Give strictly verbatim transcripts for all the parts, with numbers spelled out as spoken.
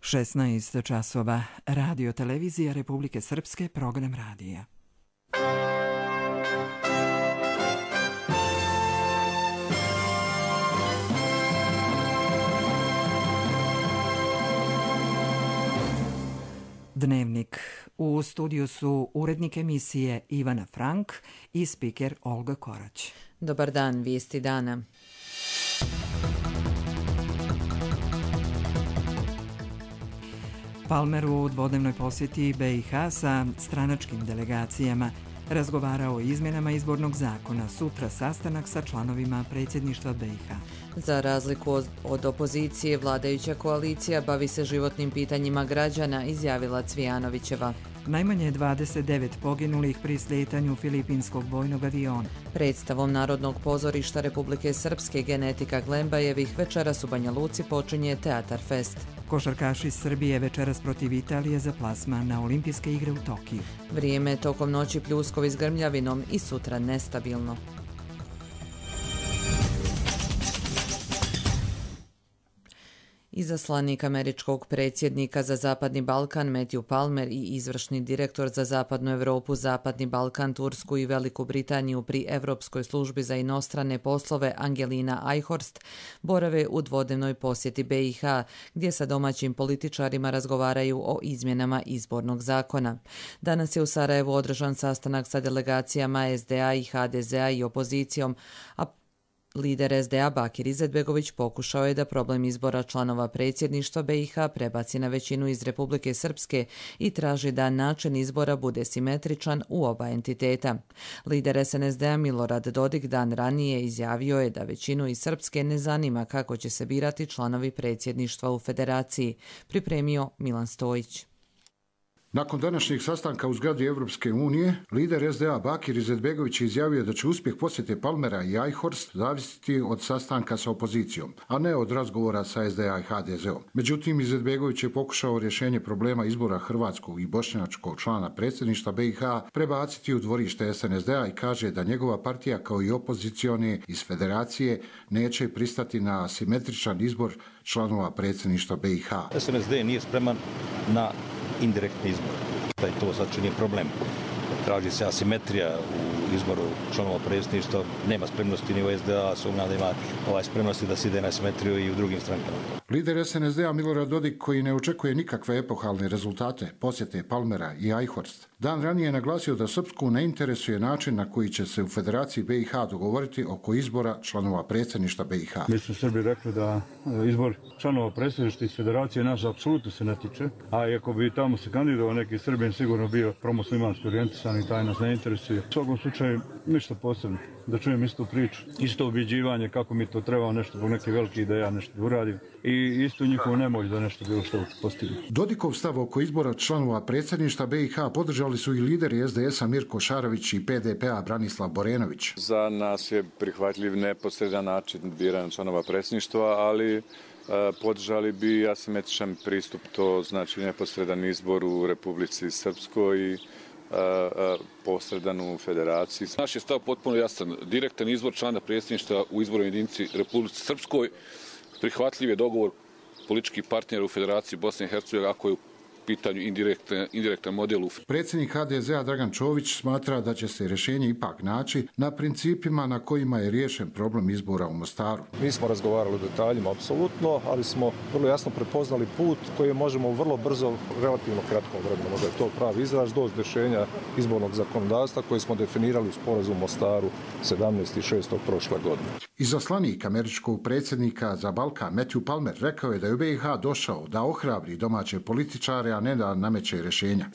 šesnaest časova. Radio televizija Republike Srpske, program radija. Dnevnik. U studiju su urednik emisije Ivana Frank i spiker Olga Korać. Dobar dan, vijesti dana. Palmer u dvodnevnoj posjeti B i H sa stranačkim delegacijama razgovarao o izmjenama izbornog zakona. Sutra sastanak sa članovima predsjedništva B i H. Za razliku od opozicije, vladajuća koalicija bavi se životnim pitanjima građana, izjavila Cvijanovićeva. Najmanje dvadeset devet poginulih pri slijetanju filipinskog vojnog aviona. Predstavom Narodnog pozorišta Republike Srpske Genetika Glembajevih večeras u Banja Luci počinje Teatar Fest. Košarkaši Srbije večeras protiv Italije za plasman na Olimpijske igre u Tokiju. Vrijeme tokom noći pljuskovi s grmljavinom i sutra nestabilno. Izaslanik američkog predsjednika za Zapadni Balkan Matthew Palmer i izvršni direktor za Zapadnu Europu, Zapadni Balkan, Tursku i Veliku Britaniju pri Europskoj službi za inostrane poslove Angelina Eichhorst borave u dvodnevnoj posjeti B i H, gdje sa domaćim političarima razgovaraju o izmjenama izbornog zakona. Danas je u Sarajevu održan sastanak sa delegacijama S D A i H D Z A i opozicijom, a lider S D A Bakir Izetbegović pokušao je da problem izbora članova predsjedništva B i H prebaci na većinu iz Republike Srpske i traži da način izbora bude simetričan u oba entiteta. Lider S N S D A Milorad Dodik dan ranije izjavio je da većinu iz Srpske ne zanima kako će se birati članovi predsjedništva u federaciji, pripremio Milan Stojić. Nakon današnjeg sastanka u zgradi Evropske unije, lider S D A Bakir Izetbegović je izjavio da će uspjeh posjete Palmera i Eichhorst zavisiti od sastanka sa opozicijom, a ne od razgovora sa S D A i H D Z-om. Međutim, Izetbegović je pokušao rješenje problema izbora hrvatskog i bošnjačkog člana predsjedništva B i H prebaciti u dvorište S N S D A i kaže da njegova partija kao i opozicione iz federacije neće pristati na simetričan izbor članova predsjedništva B i H. S N S D nije spreman na indirektni izbor. Da je to znači nije problem. Traži se asimetrija u izboru članova predsjedništva, nema spremnosti ni u S D A, sumnjam da ima ovaj spremnosti da se ide na asimetriju i u drugim strankama. Lider S N S D A Milorad Dodik, koji ne očekuje nikakve epohalne rezultate posjete Palmera i Eichhorst, dan ranije je naglasio da Srpsku ne interesuje način na koji će se u Federaciji B i H dogovoriti oko izbora članova predsjedništva B i H. Mi smo Srbi rekli da izbor članova predsjedništva iz Federacije nas apsolutno se ne tiče, a ako bi tamo se kandidovao neki Srbin sigurno bio promuslimanski orijentisan i taj nas ne interesuje. U svakom slučaju ništa posebno. Da čujem istu priču, isto objeđivanje kako mi to treba nešto zbog neke velike ideja nešto uradim i isto njihovu nemoć da nešto bilo što postignu. Dodikov stav oko izbora članova predsjedništva B i H podržali su i lideri S D S-a Mirko Šarović i P D P-a Branislav Borenović. Za nas je prihvatljiv neposredan način biranja članova predsjedništva, ali e, podržali bi asimetričan pristup, to znači neposredan izbor u Republici Srpskoj i posredan u federaciji. Naš je stav potpuno jasan. Direktan izbor člana predsjedništva u izbornoj jedinici Republici Srpskoj. Prihvatljiv je dogovor političkih partnera u Federaciji Bosne i Hercegovine ako je u pitanju indirektan, indirektan model. Predsjednik H D Z A Dragan Čović smatra da će se rješenje ipak naći na principima na kojima je riješen problem izbora u Mostaru. Mi smo razgovarali o detaljima, apsolutno, ali smo vrlo jasno prepoznali put koji možemo vrlo brzo, relativno kratkom vremenu, možda je to pravi izraz, doći do rješenja izbornog zakonodavstva koji smo definirali u sporazumu u Mostaru sedamnaestog šestog prošle godine. Izaslanik američkog predsjednika za Balkan Matthew Palmer rekao je da je u B i H došao da ohrabri domaće političare, a ne da nameće rješenja.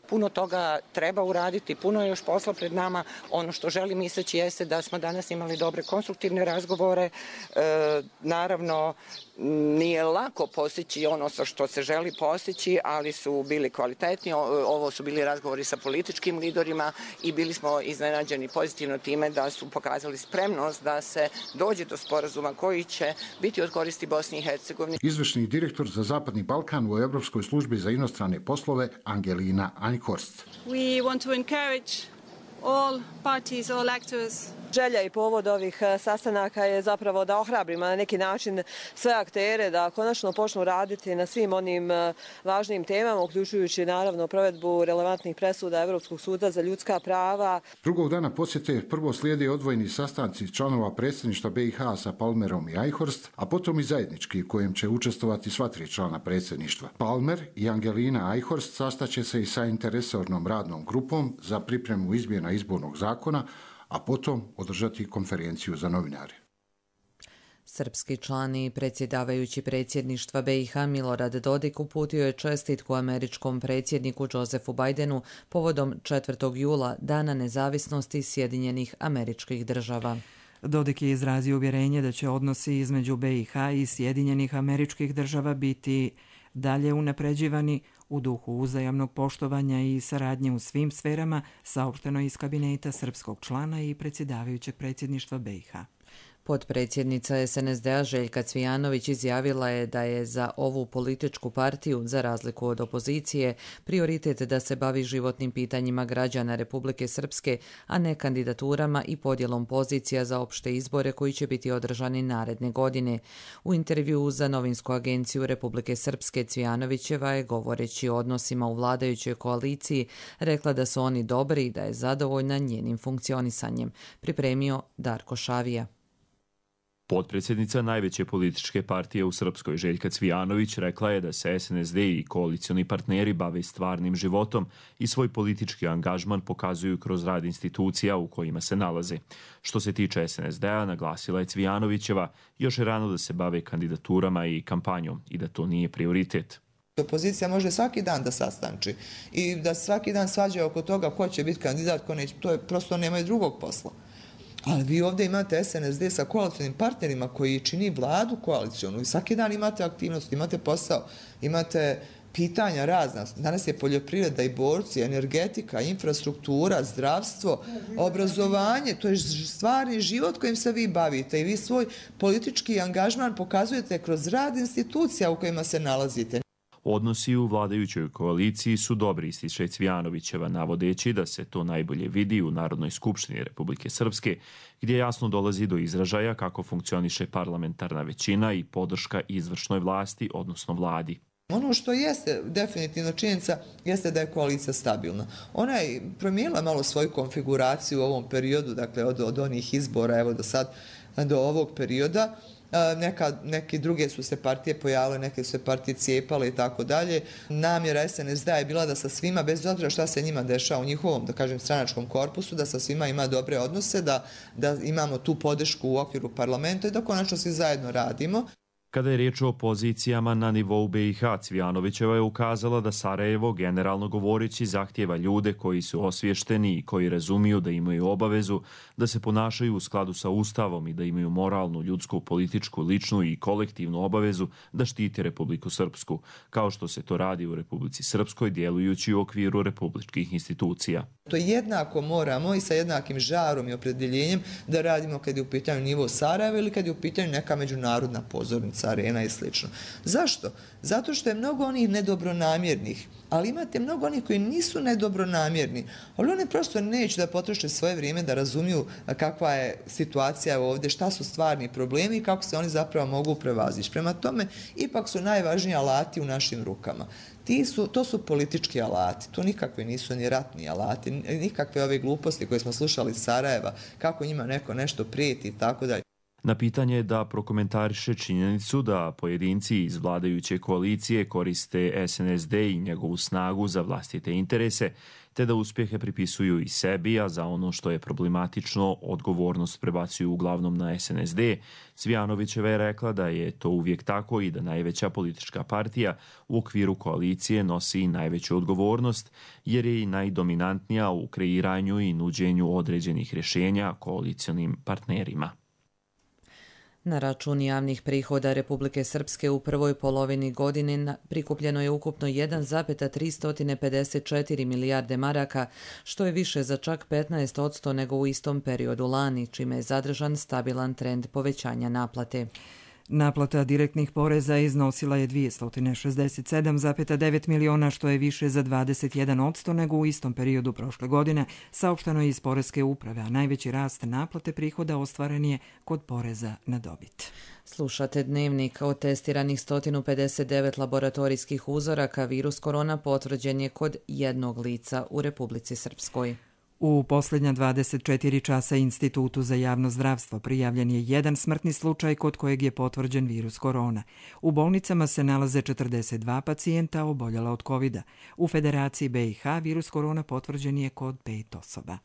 Puno toga treba uraditi, puno je još posla pred nama. Ono što želim istaći jeste da smo danas imali dobre konstruktivne razgovore. E, naravno, nije lako postići ono što se želi postići, ali su bili kvalitetni. Ovo su bili razgovori sa političkim liderima i bili smo iznenađeni pozitivno time da su pokazali spremnost da se dođe do sporazuma koji će biti od koristi Bosni i Hercegovini. Izvršni direktor za Zapadni Balkan u Europskoj službi za inostrane poslove Angelina Eichhorst. We want to encourage all parties, all actors želja i povod ovih sastanaka je zapravo da ohrabrimo na neki način sve aktere da konačno počnu raditi na svim onim važnim temama, uključujući naravno provedbu relevantnih presuda Evropskog suda za ljudska prava. Drugog dana posjete prvo slijede odvojeni sastanci članova predsjedništva B i H sa Palmerom i Eichhorst, a potom i zajednički u kojem će učestvovati sva tri člana predsjedništva. Palmer i Angelina Eichhorst sastaće se i sa interresornom radnom grupom za pripremu izmjena izbornog zakona, a potom održati konferenciju za novinare. Srpski član i predsjedavajući predsjedništva B i H Milorad Dodik uputio je čestitku američkom predsjedniku Josefu Bidenu povodom četvrtog jula, Dana nezavisnosti Sjedinjenih Američkih Država. Dodik je izrazio uvjerenje da će odnosi između B i H i Sjedinjenih Američkih Država biti dalje unapređivani u duhu uzajamnog poštovanja i saradnje u svim sferama, saopšteno iz kabineta srpskog člana i predsjedavajućeg predsjedništva B i H. Potpredsjednica S N S D-a Željka Cvijanović izjavila je da je za ovu političku partiju, za razliku od opozicije, prioritet da se bavi životnim pitanjima građana Republike Srpske, a ne kandidaturama i podjelom pozicija za opšte izbore koji će biti održani naredne godine. U intervjuu za novinsku agenciju Republike Srpske Cvijanovićeva je, govoreći o odnosima u vladajućoj koaliciji, rekla da su oni dobri i da je zadovoljna njenim funkcionisanjem. Pripremio Darko Šavija. Potpredsjednica najveće političke partije u Srpskoj Željka Cvijanović rekla je da se S N S D i koalicioni partneri bave stvarnim životom i svoj politički angažman pokazuju kroz rad institucija u kojima se nalaze. Što se tiče S N S D-a, naglasila je Cvijanovićeva, još je rano da se bave kandidaturama i kampanjom i da to nije prioritet. Opozicija može svaki dan da sastanči i da svaki dan svađa oko toga ko će biti kandidat, ko neće, to je prosto nemaju drugog posla. Ali vi ovdje imate S N S D sa koalicionim partnerima koji čini vladu koalicionu i svaki dan imate aktivnost, imate posao, imate pitanja razna. Danas je poljoprivreda i borci, energetika, infrastruktura, zdravstvo, obrazovanje, to je stvarni život kojim se vi bavite i vi svoj politički angažman pokazujete kroz rad institucija u kojima se nalazite. Odnosi u vladajućoj koaliciji su dobri, ističe Cvijanovićeva, navodeći da se to najbolje vidi u Narodnoj skupštini Republike Srpske, gdje jasno dolazi do izražaja kako funkcioniše parlamentarna većina i podrška izvršnoj vlasti, odnosno vladi. Ono što jeste definitivno činjenica jeste da je koalicija stabilna. Ona je promijenila malo svoju konfiguraciju u ovom periodu, dakle od, od onih izbora evo do sad, do ovog perioda. Neka, neke druge su se partije pojavile, neke su se partije cijepale i tako dalje. Namjera S N S D-a je bila da sa svima, bez obzira šta se njima dešava u njihovom, da kažem, stranačkom korpusu, da sa svima ima dobre odnose, da, da imamo tu podršku u okviru parlamenta i da konačno svi zajedno radimo. Kada je riječ o pozicijama na nivou B i H, Cvijanovićeva je ukazala da Sarajevo, generalno govoreći, zahtjeva ljude koji su osvješteni i koji razumiju da imaju obavezu da se ponašaju u skladu sa Ustavom i da imaju moralnu, ljudsku, političku, ličnu i kolektivnu obavezu da štiti Republiku Srpsku, kao što se to radi u Republici Srpskoj, djelujući u okviru republičkih institucija. To jednako moramo i sa jednakim žarom i opredjeljenjem da radimo kad je u pitanju nivo Sarajeva ili kad je u pitanju neka međunarodna pozornica, arena i slično. Zašto? Zato što je mnogo onih nedobronamjernih, ali imate mnogo onih koji nisu nedobronamjerni, ali oni prosto neće da potroše svoje vrijeme da razumiju kakva je situacija ovdje, šta su stvarni problemi i kako se oni zapravo mogu prevazići. Prema tome, ipak su najvažniji alati u našim rukama. Ti su, to su politički alati, to nikakvi nisu ni ratni alati, nikakve ove gluposti koje smo slušali iz Sarajeva, kako njima neko nešto prijeti i tako dalje. Na pitanje da prokomentariše činjenicu da pojedinci iz vladajuće koalicije koriste S N S D i njegovu snagu za vlastite interese, te da uspjehe pripisuju i sebi, a za ono što je problematično odgovornost prebacuju uglavnom na S N S D, Cvijanovićeva je rekla da je to uvijek tako i da najveća politička partija u okviru koalicije nosi najveću odgovornost, jer je i najdominantnija u kreiranju i nuđenju određenih rješenja koalicionim partnerima. Na račun javnih prihoda Republike Srpske u prvoj polovini godine prikupljeno je ukupno jedan zarez tristo pedeset četiri milijarde maraka, što je više za čak petnaest posto nego u istom periodu lani, čime je zadržan stabilan trend povećanja naplate. Naplata direktnih poreza iznosila je dvjesto šezdeset sedam zarez devet miliona, što je više za dvadeset jedan posto nego u istom periodu prošle godine, saopšteno je iz Poreske uprave, a najveći rast naplate prihoda ostvaren je kod poreza na dobit. Slušate Dnevnik. Od testiranih sto pedeset devet laboratorijskih uzoraka virus korona potvrđen je kod jednog lica u Republici Srpskoj. U posljednja dvadeset četiri časa Institutu za javno zdravstvo prijavljen je jedan smrtni slučaj kod kojeg je potvrđen virus korona. U bolnicama se nalaze četrdeset dva pacijenta oboljela od kovida. U Federaciji B i H virus korona potvrđen je kod pet osoba.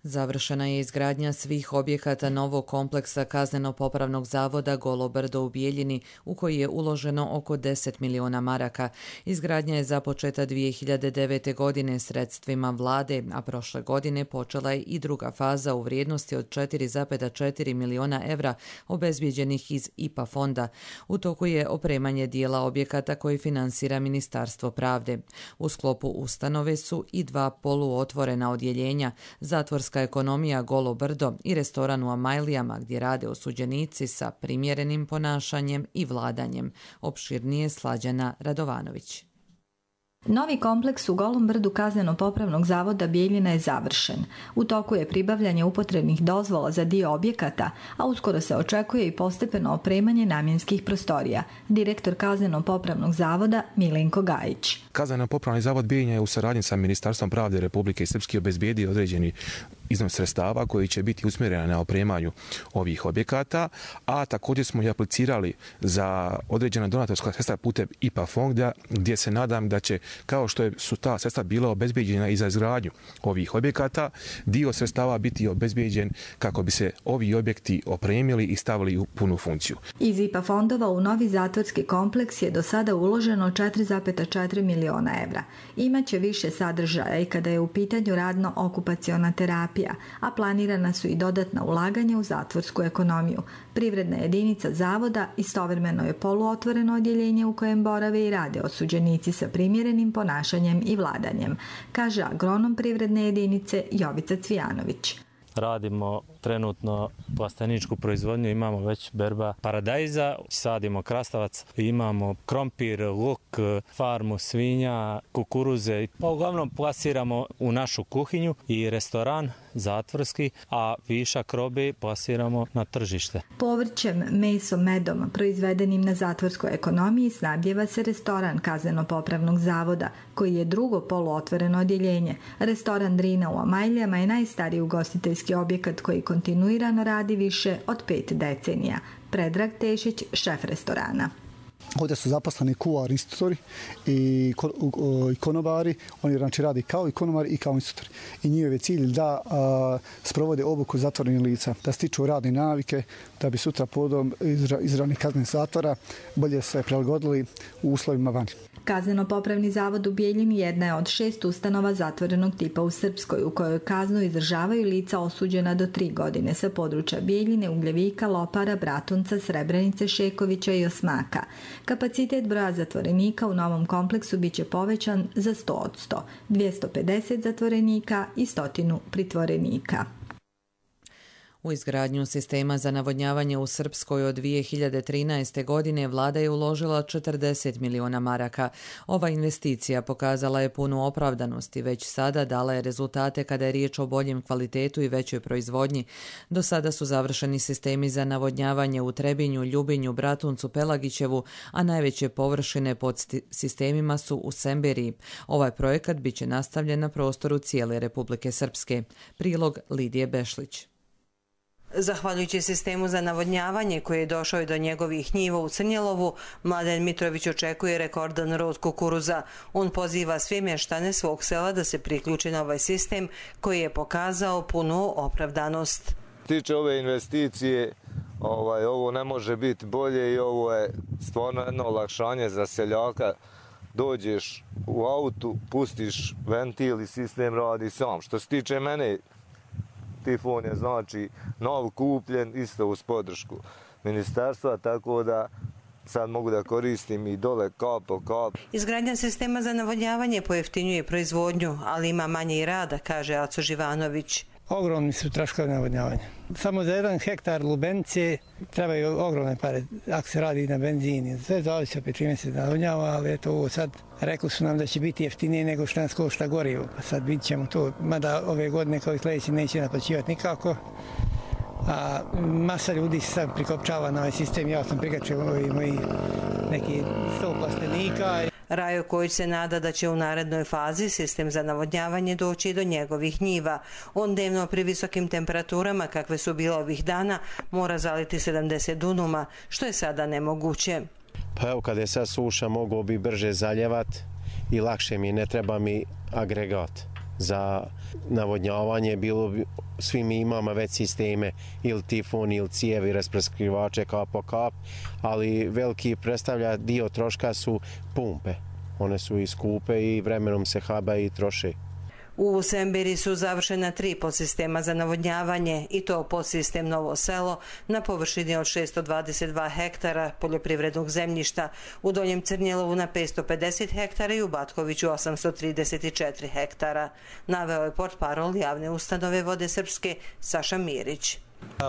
Završena je izgradnja svih objekata novog kompleksa Kazneno-popravnog zavoda Golo Brdo u Bijeljini, u koji je uloženo oko deset miliona maraka. Izgradnja je započeta dvije hiljade devete. godine sredstvima vlade, a prošle godine počela je i druga faza u vrijednosti od četiri zarez četiri miliona evra obezbijeđenih iz I P A fonda. U toku je opremanje dijela objekata koji finansira Ministarstvo pravde. U sklopu ustanove su i dva poluotvorena odjeljenja, zatvorska ekonomija Golo Brdo i restoran u Amajlijama gdje rade osuđenici sa primjerenim ponašanjem i vladanjem. Opširnije Slađana Radovanović. Novi kompleks u Golom Brdu Kazneno-popravnog zavoda Bijeljina je završen. U toku je pribavljanje upotrebnih dozvola za dio objekata, a uskoro se očekuje i postepeno opremanje namjenskih prostorija. Direktor Kazneno-popravnog zavoda Milenko Gajić. Kazneno-popravni zavod Bijeljina je u saradnji sa Ministarstvom pravde Republike Srpske obezbijedio određeni iznos sredstava koji će biti usmjerena na opremanju ovih objekata, a također smo i aplicirali za određena donatorska sredstva putem I P A fonda, gdje se nadam da će, kao što su ta sredstva bila obezbijeđena i za izgradnju ovih objekata, dio sredstava biti obezbijeđen kako bi se ovi objekti opremili i stavili u punu funkciju. Iz I P A fondova u novi zatvorski kompleks je do sada uloženo četiri zarez četiri miliona evra. Imaće više sadržaja i kada je u pitanju radno-okupaciona terapija, a planirana su i dodatna ulaganja u zatvorsku ekonomiju. Privredna jedinica zavoda istovremeno je poluotvoreno odjeljenje u kojem borave i rade osuđenici sa primjerenim ponašanjem i vladanjem, kaže agronom privredne jedinice Jovica Cvijanović. Radimo trenutno plasteničku proizvodnju, imamo već berba paradajza, sadimo krastavac, imamo krompir, luk, farmu svinja, kukuruze. Pa uglavnom plasiramo u našu kuhinju i restoran zatvorski, a višak robe plasiramo na tržište. Povrćem, mesom, medom proizvedenim na zatvorskoj ekonomiji snabdjeva se restoran Kazneno-popravnog zavoda, koji je drugo poluotvoreno odjeljenje. Restoran Drina u Amajlijama je najstariji ugostiteljski objekat koji kontinuirano radi više od pet decenija. Predrag Tešić, šef restorana. Ovdje su zaposleni kuvari, instruktori i konobari. Oni znači radi kao i konobari i kao instruktori. I njihov je cilj da a, sprovode obuku zatvorenih lica, da stiču radne navike, da bi sutra podom izra, izravnih kaznenih zatvora bolje se prilagodili u uslovima vani. Kazneno-popravni zavod u Bijeljini jedna je od šest ustanova zatvorenog tipa u Srpskoj, u kojoj kaznu izdržavaju lica osuđena do tri godine sa područja Bijeljine, Ugljevika, Lopara, Bratunca, Srebrenice, Šekovića i Osmaka. Kapacitet broja zatvorenika u novom kompleksu biće povećan za sto posto, dvjesto pedeset zatvorenika i stotinu pritvorenika. U izgradnju sistema za navodnjavanje u Srpskoj od dvije hiljade trinaeste. godine vlada je uložila četrdeset miliona maraka. Ova investicija pokazala je punu opravdanost i već sada dala je rezultate kada je riječ o boljem kvalitetu i većoj proizvodnji. Do sada su završeni sistemi za navodnjavanje u Trebinju, Ljubinju, Bratuncu, Pelagićevu, a najveće površine pod sistemima su u Semberiji. Ovaj projekat biće nastavljen na prostoru cijele Republike Srpske. Prilog Lidije Bešlić. Zahvaljujući sistemu za navodnjavanje koji je došao i do njegovih njiva u Crnjelovu, Mladen Mitrović očekuje rekordan rod kukuruza. On poziva sve mještane svog sela da se priključi na ovaj sistem koji je pokazao punu opravdanost. Tiče ove investicije, ovaj, ovo ne može biti bolje i ovo je stvarno jedno olakšanje za seljaka. Dođeš u autu, pustiš ventil i sistem radi sam. Što se tiče mene, Tifon je znači nov kupljen, isto uz podršku ministarstva, tako da sad mogu da koristim i dole kap po kap. Izgradnja sistema za navodnjavanje pojeftinjuje proizvodnju, ali ima manje i rada, kaže Aco Živanović. Ogromni su troškovi navodnjavanja. Samo za jedan hektar lubenice trebaju ogromne pare, ako se radi na benzini. Sve zavisi opet čime se navodnjava, ali eto ovo sad rekli su nam da će biti jeftinije nego što nas košta gorivo. Pa sad vidit ćemo to, mada ove godine kao i sljedeće neće naplaćivati nikako. A masa ljudi se sad prikopčava na ovaj sistem. Ja sam prikačio ovi moji neki sto plastenika. Rajo Kojić se nada da će u narednoj fazi sistem za navodnjavanje doći do njegovih njiva. On dnevno pri visokim temperaturama, kakve su bile ovih dana, mora zaliti sedamdeset dunuma, što je sada nemoguće. Pa evo, kada je sad suša, mogu bi brže zaljevat i lakše mi, ne treba mi agregat za navodnjavanje. Bilo bi, svi mi imamo već sisteme ili tifon ili cijevi, rasprskivače kap po kap, ali veliki predstavlja dio troška su pumpe. One su i skupe i vremenom se haba i troše. U Sembiri su završena tri podsistema za navodnjavanje i to podsistem Novo selo na površini od šessto dvadeset dva hektara poljoprivrednog zemljišta, u Donjem Crnjelovu na petsto pedeset hektara i u Batkoviću osamsto trideset četiri hektara. Naveo je portparol javne ustanove Vode Srpske Saša Mirić.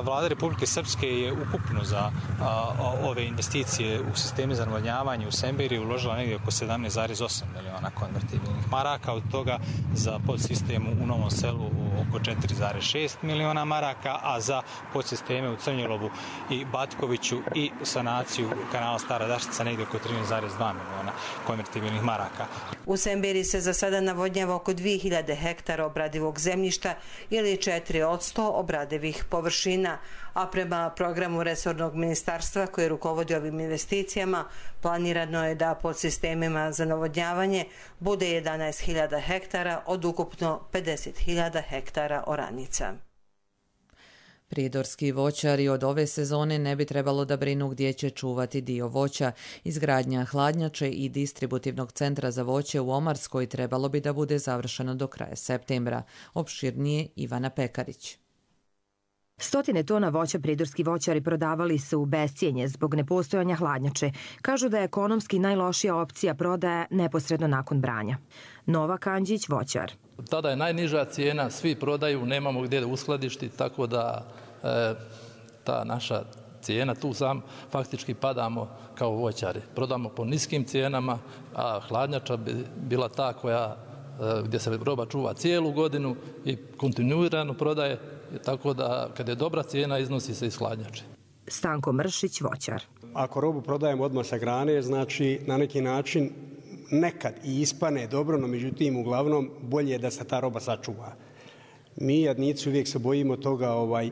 Vlada Republike Srpske je ukupno za a, ove investicije u sisteme za navodnjavanje u Sembiri uložila negdje oko sedamnaest zarez osam miliona konvertibilnih maraka, od toga za podsistemu u Novom selu oko četiri zarez šest miliona maraka, a za podsisteme u Crnjelovu i Batkoviću i sanaciju kanala Stara Daštica negdje oko trinaest zarez dva miliona konvertibilnih maraka. U Sembiri se za sada navodnjava oko dvije hiljade hektara obradivog zemljišta ili četiri od sto obradivih površina, a prema programu resornog ministarstva koje rukovodi ovim investicijama planirano je da pod sistemima za navodnjavanje bude jedanaest hiljada hektara od ukupno pedeset hiljada hektara oranica. Prijedorski voćari od ove sezone ne bi trebalo da brinu gdje će čuvati dio voća. Izgradnja hladnjače i distributivnog centra za voće u Omarskoj trebalo bi da bude završeno do kraja septembra. Opširnije Ivana Pekarić. Stotine tona voća pridorski voćari prodavali su u bescijenje zbog nepostojanja hladnjače. Kažu da je ekonomski najlošija opcija prodaja neposredno nakon branja. Nova Kanđić, voćar. Tada je najniža cijena, svi prodaju, nemamo gdje da uskladišti, tako da e, ta naša cijena, tu sam faktički padamo kao voćari. Prodamo po niskim cijenama, a hladnjača bi bila ta koja, e, gdje se roba čuva cijelu godinu i kontinuirano prodaje, tako da kad je dobra cijena iznosi se iz hladnjače. Stanko Mršić, voćar. Ako robu prodajemo odmah sa grane, znači na neki način nekad i ispane dobro, no međutim uglavnom bolje je da se ta roba sačuva. Mi jadnici uvijek se bojimo toga ovaj,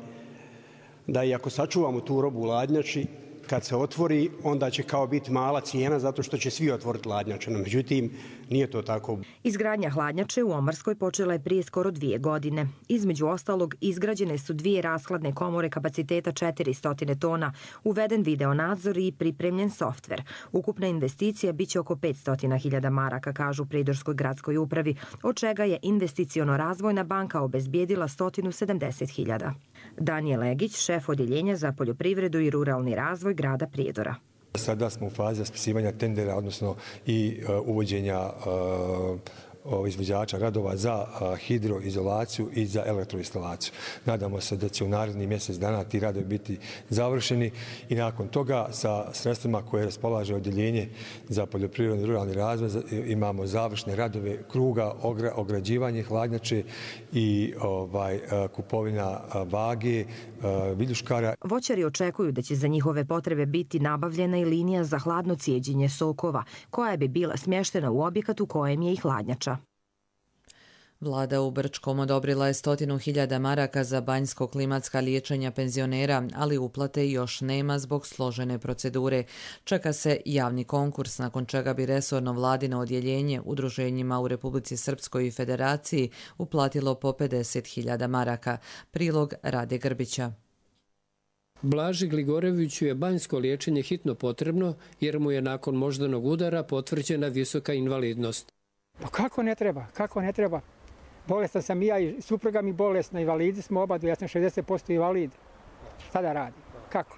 da i ako sačuvamo tu robu u hladnjači, kad se otvori, onda će kao biti mala cijena zato što će svi otvoriti hladnjače. No, međutim, nije to tako. Izgradnja hladnjače u Omarskoj počela je prije skoro dvije godine. Između ostalog, izgrađene su dvije rashladne komore kapaciteta četiristo tona, uveden video nadzor i pripremljen softver. Ukupna investicija biće oko petsto hiljada maraka, kažu Pridorskoj gradskoj upravi, od čega je Investiciono-razvojna banka obezbijedila sto sedamdeset hiljada. Danijel Legić, šef odjeljenja za poljoprivredu i ruralni razvoj grada Prijedora. Sada smo u fazi raspisivanja tendera, odnosno i uh, uvođenja uh, izvođača radova za hidroizolaciju i za elektroinstalaciju. Nadamo se da će u narednih mjesec dana ti radovi biti završeni i nakon toga sa sredstvima koje raspolaže odjeljenje za poljoprivredni i ruralni razvoj imamo završne radove kruga, ograđivanje hladnjače i ovaj, kupovina vage, viljuškara. Voćari očekuju da će za njihove potrebe biti nabavljena i linija za hladno cijeđenje sokova, koja bi bila smještena u objekat u kojem je i hladnjača. Vlada u Brčkom odobrila je stotinu hiljada maraka za banjsko-klimatska liječenja penzionera, ali uplate još nema zbog složene procedure. Čeka se javni konkurs, nakon čega bi resorno vladino odjeljenje udruženjima u Republici Srpskoj i Federaciji uplatilo po pedeset hiljada maraka. Prilog Rade Grbića. Blaži Gligoreviću je banjsko liječenje hitno potrebno jer mu je nakon moždanog udara potvrđena visoka invalidnost. Pa kako ne treba? Kako ne treba? Bolestan sam i ja i supruga mi bolesna, invalidi smo oba, ja sam šezdeset posto invalid. Šta da radim? Kako?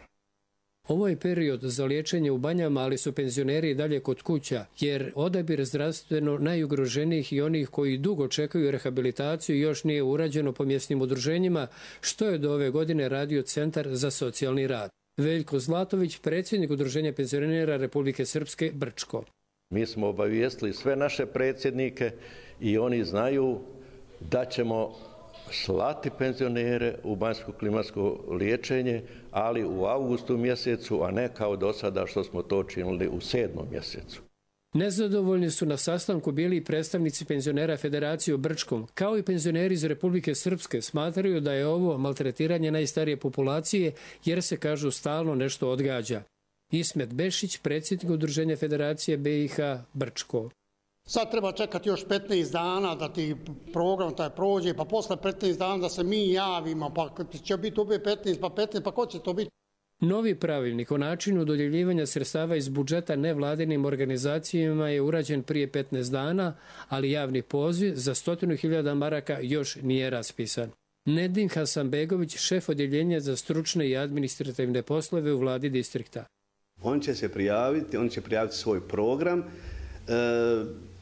Ovo je period za liječenje u banjama, ali su penzioneri i dalje kod kuća, jer odabir zdravstveno najugroženijih i onih koji dugo čekaju rehabilitaciju još nije urađeno po mjesnim udruženjima, što je do ove godine radio Centar za socijalni rad. Veljko Zlatović, predsjednik Udruženja penzionera Republike Srpske, Brčko. Mi smo obavijestili sve naše predsjednike i oni znaju da ćemo slati penzionere u banjsko-klimatsko liječenje, ali u avgustu mjesecu, a ne kao do sada što smo to činili u sedmom mjesecu. Nezadovoljni su na sastanku bili i predstavnici penzionera Federacije u Brčkom, kao i penzioneri iz Republike Srpske. Smatraju da je ovo maltretiranje najstarije populacije, jer se, kažu, stalno nešto odgađa. Ismet Bešić, predsjednik Udruženja Federacije B i H Brčko. Sad treba čekati još petnaest dana da ti program taj prođe, pa posle petnaest dana da se mi javimo, pa će biti opet petnaest, pa petnaest, pa ko će to biti? Novi pravilnik o načinu dodjeljivanja sredstava iz budžeta nevladinim organizacijama je urađen prije petnaest dana, ali javni poziv za stotinu hiljada maraka još nije raspisan. Nedim Hasanbegović, šef odjeljenja za stručne i administrativne poslove u vladi distrikta. On će se prijaviti, on će prijaviti svoj program,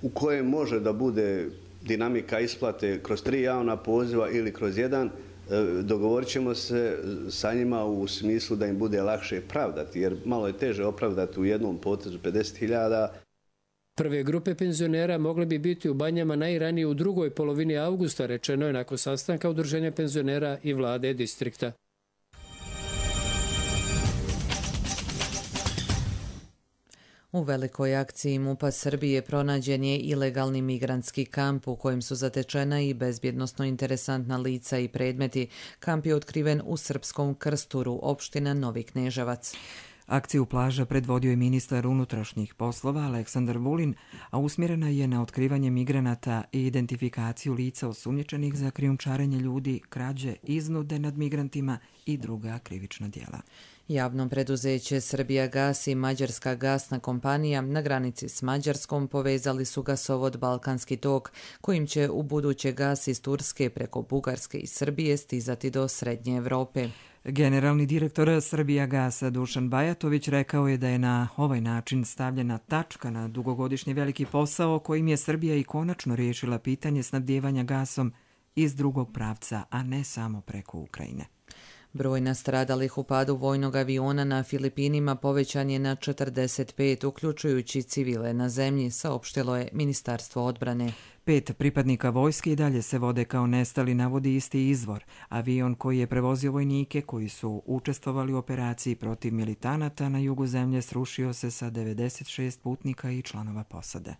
u kojem može da bude dinamika isplate kroz tri javna poziva ili kroz jedan. Dogovorit ćemo se sa njima u smislu da im bude lakše pravdati, jer malo je teže opravdati u jednom potezu pedeset hiljada. Prve grupe penzionera mogle bi biti u banjama najranije u drugoj polovini avgusta, rečeno je nakon sastanka Udruženja penzionera i vlade distrikta. U velikoj akciji MUP-a Srbije pronađen je ilegalni migrantski kamp u kojem su zatečena i bezbjednosno interesantna lica i predmeti. Kamp je otkriven u srpskom Krsturu, opština Novi Kneževac. Akciju plaža predvodio je ministar unutrašnjih poslova Aleksandar Vulin, a usmjerena je na otkrivanje migranata i identifikaciju lica osumnjičenih za krijumčarenje ljudi, krađe, iznude nad migrantima i druga krivična djela. Javno preduzeće Srbija gas i Mađarska gasna kompanija na granici s Mađarskom povezali su gasovod Balkanski tok, kojim će u buduće gas iz Turske preko Bugarske i Srbije stizati do Srednje Evrope. Generalni direktor Srbija gasa Dušan Bajatović rekao je da je na ovaj način stavljena tačka na dugogodišnji veliki posao kojim je Srbija i konačno riješila pitanje snabdijevanja gasom iz drugog pravca, a ne samo preko Ukrajine. Broj nastradalih u padu vojnog aviona na Filipinima povećan je na četrdeset pet, uključujući civile na zemlji, saopštilo je Ministarstvo odbrane. Pet pripadnika vojske i dalje se vode kao nestali, navodi isti izvor. Avion koji je prevozio vojnike koji su učestvovali u operaciji protiv militanata na jugu zemlje srušio se sa devedeset šest putnika i članova posade.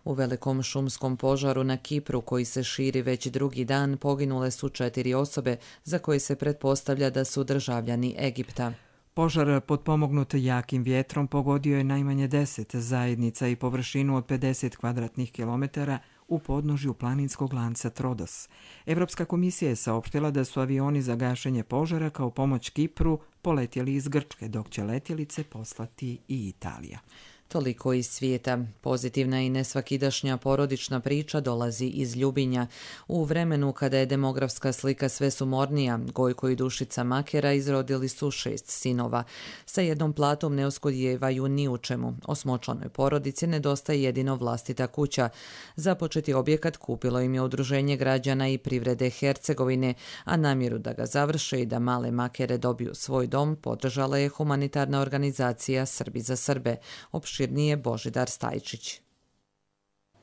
U velikom šumskom požaru na Kipru, koji se širi već drugi dan, poginule su četiri osobe za koje se pretpostavlja da su državljani Egipta. Požar potpomognut jakim vjetrom pogodio je najmanje deset zajednica i površinu od pedeset kvadratnih kilometara u podnožju planinskog lanca Trodos. Evropska komisija je saopštila da su avioni za gašenje požara kao pomoć Kipru poletjeli iz Grčke, dok će letjelice poslati i Italija. Toliko iz svijeta. Pozitivna i nesvakidašnja porodična priča dolazi iz Ljubinja. U vremenu kada je demografska slika sve sumornija, Gojko i Dušica Makera izrodili su šest sinova. Sa jednom platom ne uskudijevaju ni u čemu. Osmočlanoj porodici nedostaje jedino vlastita kuća. Započeti objekat kupilo im je Udruženje građana i privrede Hercegovine, a namjeru da ga završe i da male Makere dobiju svoj dom podržala je humanitarna organizacija Srbi za Srbe. Opširnije Božidar Stajčić.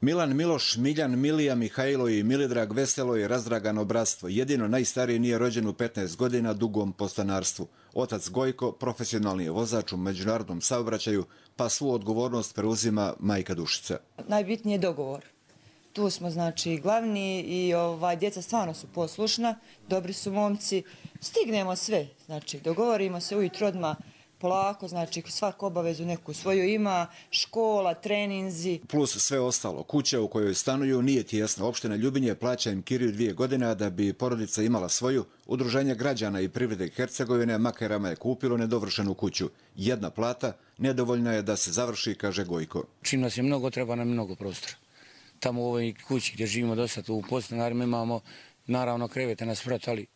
Milan, Miloš, Miljan, Milija, Mihajlo i Milidrag veselo i razdragano bratstvo. Jedino najstariji nije rođen u petnaest godina dugom podstanarstvu. Otac Gojko profesionalni je vozač u međunarodnom saobraćaju, pa svu odgovornost preuzima majka Dušica. Najbitniji je dogovor. Tu smo znači glavni i ovaj, djeca stvarno su poslušna, dobri su momci. Stignemo sve, znači dogovorimo se ujutro odmah polako, znači svaku obavezu neku svoju ima, škola, treninzi. Plus sve ostalo. Kuća u kojoj stanuju nije tijesna. Opština Ljubinje plaća im kiriju dvije godine, da bi porodica imala svoju. Udruženje građana i privrede Hercegovine Makerama je kupilo nedovršenu kuću. Jedna plata nedovoljna je da se završi, kaže Gojko. Čim nas je mnogo, treba nam mnogo prostora. Tamo u ovoj kući gdje živimo do sad u podstanarima imamo naravno krevete na sprat, ali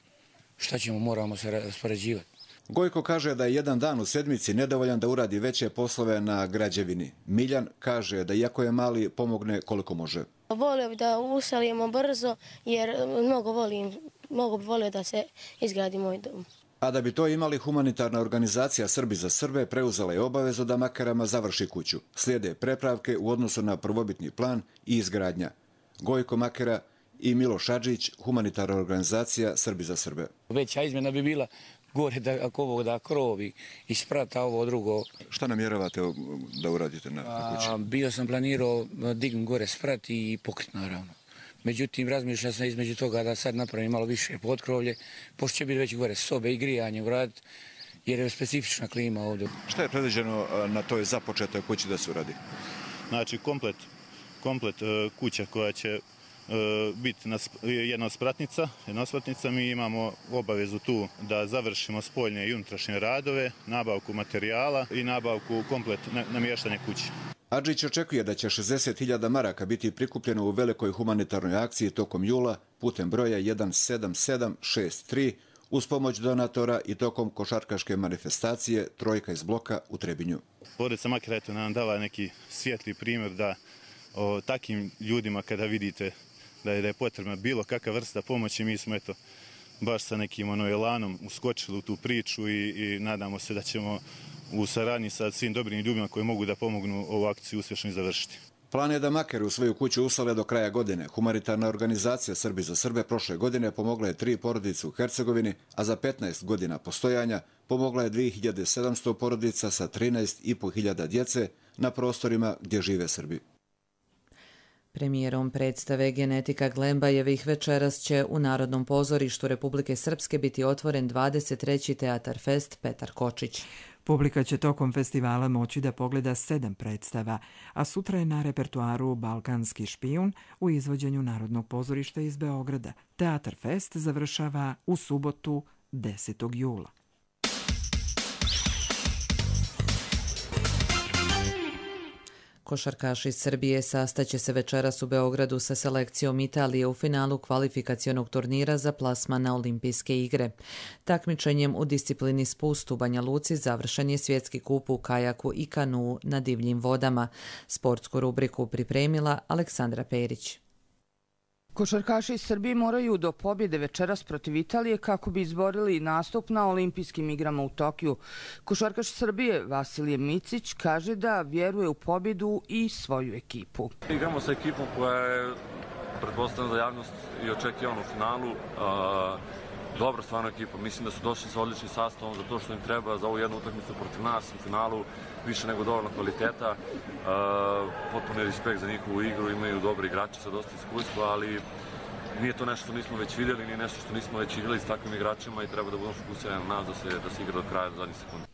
šta ćemo, moramo se raspoređivati. Gojko kaže da je jedan dan u sedmici nedovoljan da uradi veće poslove na građevini. Miljan kaže da iako je mali, pomogne koliko može. Volio bi da uselimo brzo jer mnogo volim, mnogo bi volio da se izgradi moj dom. A da bi to imali, humanitarna organizacija Srbi za Srbe preuzela je obavezu da Makerama završi kuću. Slijede prepravke u odnosu na prvobitni plan i izgradnja. Gojko Makera i Miloš Adžić, humanitarna organizacija Srbi za Srbe. Veća izmjena bi bila gore da ako ovo da krovi i sprata ovo drugo. Šta namjeravate da uradite na, na kući? A, bio sam planirao dignuti gore sprat i pokrit naravno. Međutim, razmišljam sam između toga da sad napravim malo više potkrovlje, pošto će biti već gore sobe i grijanje uraditi, jer je specifična klima ovdje. Šta je predviđeno na toj započetoj kući da se uradi? Znači, komplet, komplet kuća koja će biti jedna spratnica, jedna spratnica. Mi imamo obavezu tu da završimo spoljne i unutrašnje radove, nabavku materijala i nabavku komplet namještanja kuće. Adžić očekuje da će šezdeset hiljada maraka biti prikupljeno u velikoj humanitarnoj akciji tokom jula putem broja jedan sedam sedam šest tri uz pomoć donatora i tokom košarkaške manifestacije Trojka iz bloka u Trebinju. Porodica Makera eto nam dala neki svijetli primjer da o takim ljudima kada vidite da je, da je potrebna bilo kakva vrsta pomoći, mi smo eto baš sa nekim ono elanom uskočili u tu priču i, i nadamo se da ćemo u saradnji sa svim dobrim ljudima koji mogu da pomognu ovu akciju uspješno i završiti. Plan je da Makeri u svoju kuću usale do kraja godine. Humanitarna organizacija Srbi za Srbe prošle godine pomogla je tri porodice u Hercegovini, a za petnaest godina postojanja pomogla je dvije hiljade sedamsto porodica sa trinaest i po hiljada djece na prostorima gdje žive Srbi. Premijerom predstave Genetika Glembajevih večeras će u Narodnom pozorištu Republike Srpske biti otvoren dvadeset treći Teatar Fest Petar Kočić. Publika će tokom festivala moći da pogleda sedam predstava, a sutra je na repertuaru Balkanski špijun u izvođenju Narodnog pozorišta iz Beograda. Teatar Fest završava u subotu desetog jula. Košarkaši Srbije sastaće se večeras u Beogradu sa selekcijom Italije u finalu kvalifikacionog turnira za plasman na Olimpijske igre. Takmičenjem u disciplini spust u Banja Luci završen je svjetski kup u kajaku i kanuu na divljim vodama. Sportsku rubriku pripremila Aleksandra Perić. Košarkaši iz Srbije moraju do pobjede večeras protiv Italije kako bi izborili nastup na olimpijskim igrama u Tokiju. Košarkaš Srbije Vasilije Micić kaže da vjeruje u pobjedu i svoju ekipu. Igramo sa ekipom koja je pretpostavljena za javnost i očekivana u finalu. Dobra stvarno ekipa. Mislim da su došli sa odličnim sastavom za to što im treba za ovu jednu utakmicu protiv nas u finalu. Više nego dovoljno kvaliteta. Potpuno je respekt za njihovu igru. Imaju dobri igrači sa dosta iskustva, ali nije to nešto što nismo već vidjeli, nije nešto što nismo već igrali s takvim igračima i treba da budemo fokusirani na nas da se, da se igra do kraja do zadnjih sekundi.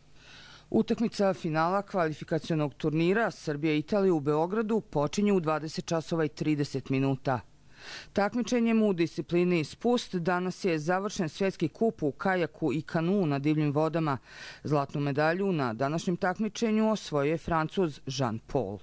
Utakmica finala kvalifikacionog turnira Srbija-Italija u Beogradu počinje u dvadeset časova i trideset minuta. Takmičenjem u disciplini spust danas je završen svjetski kup u kajaku i kanuu na divljim vodama. Zlatnu medalju na današnjem takmičenju osvojio je Francuz Jean Paul.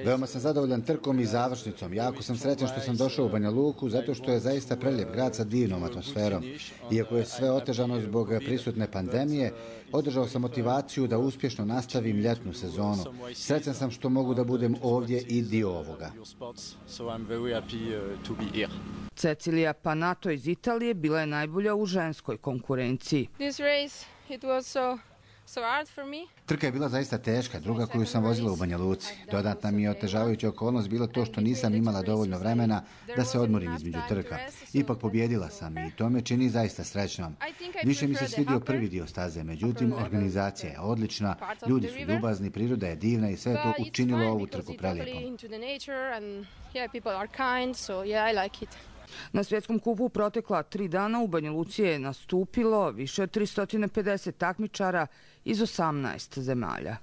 Veoma sam zadovoljan trkom i završnicom. Jako sam srećan što sam došao u Banja Luku zato što je zaista prelijep grad sa divnom atmosferom. Iako je sve otežano zbog prisutne pandemije, održao sam motivaciju da uspješno nastavim ljetnu sezonu. Srećan sam što mogu da budem ovdje i dio ovoga. Cecilija Panato iz Italije bila je najbolja u ženskoj konkurenciji. Trka je bila zaista teška, druga koju sam vozila u Banja Luci. Dodatna mi je otežavajuća okolnost bilo to što nisam imala dovoljno vremena da se odmorim između trka. Ipak pobjedila sam i to me čini zaista srećnom. Više mi se svidio prvi dio staze, međutim organizacija je odlična, ljudi su ljubazni, priroda je divna i sve to učinilo ovu trku prelijepom. Na svjetskom kupu protekla tri dana u Banja Luci je nastupilo više od tristo pedeset takmičara iz osamnaest zemalja.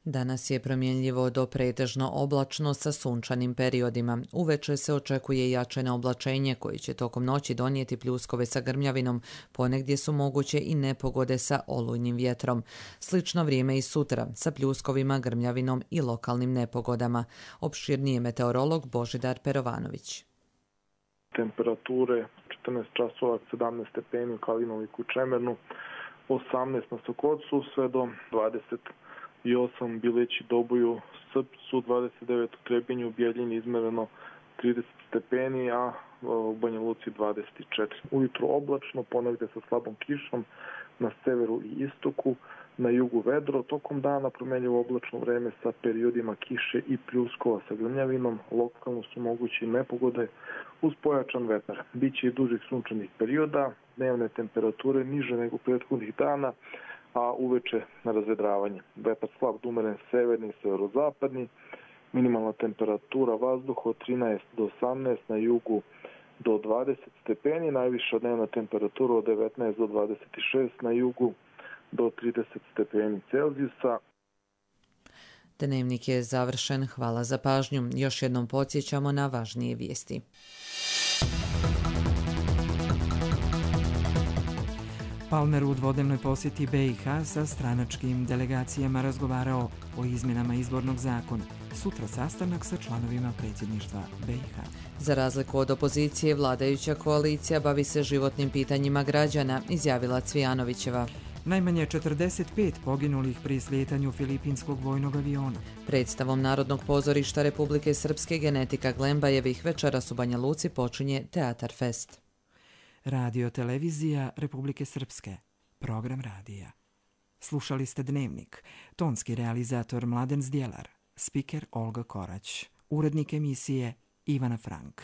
Danas je promjenljivo do pretežno oblačno sa sunčanim periodima. Uveče se očekuje jačeno oblačenje koje će tokom noći donijeti pljuskove sa grmljavinom, ponegdje su moguće i nepogode sa olujnim vjetrom. Slično vrijeme i sutra sa pljuskovima, grmljavinom i lokalnim nepogodama. Opširnije meteorolog Božidar Perovanović. Temperature četrnaest časova, sedamnaest stepeni u Kalinoviku i Čemernu, osamnaest na Sokocu sve do dvadeset i osam Bileći, Doboju, Srpcu, dvadeset devet u Trebinju, u Bijeljini izmereno trideset stepeni, a u Banja Luci dvadeset četiri. Ujutro oblačno, ponegdje sa slabom kišom na severu i istoku, na jugu vedro, tokom dana promjenjivo oblačno vreme sa periodima kiše i pljuskova sa grmljavinom, lokalno su mogući nepogode uz pojačan vetar. Biće i dužih sunčanih perioda, dnevne temperature niže nego prethodnih dana, a uveče na razvedravanje. Vetar slab do umeren severni i severozapadni, minimalna temperatura vazduha od trinaest do osamnaest, na jugu do dvadeset stepeni, najviša dnevna temperatura od devetnaest do dvadeset šest, na jugu do trideset stepeni Celzijusa. Dnevnik je završen. Hvala za pažnju. Još jednom podsjećamo na važnije vijesti. Palmer u dvodnevnoj posjeti B i H sa stranačkim delegacijama razgovarao o izmjenama izbornog zakona. Sutra sastanak sa članovima predsjedništva B i H. Za razliku od opozicije, vladajuća koalicija bavi se životnim pitanjima građana, izjavila Cvijanovićeva. Najmanje četrdeset pet poginulih pri slijetanju filipinskog vojnog aviona. Predstavom Narodnog pozorišta Republike Srpske Genetika Glembajevih večeras u Banja Luci počinje Teatar Fest. Radio televizija Republike Srpske. Program radija. Slušali ste Dnevnik. Tonski realizator Mladen Zdjelar. Spiker Olga Korać. Urednik emisije Ivana Frank.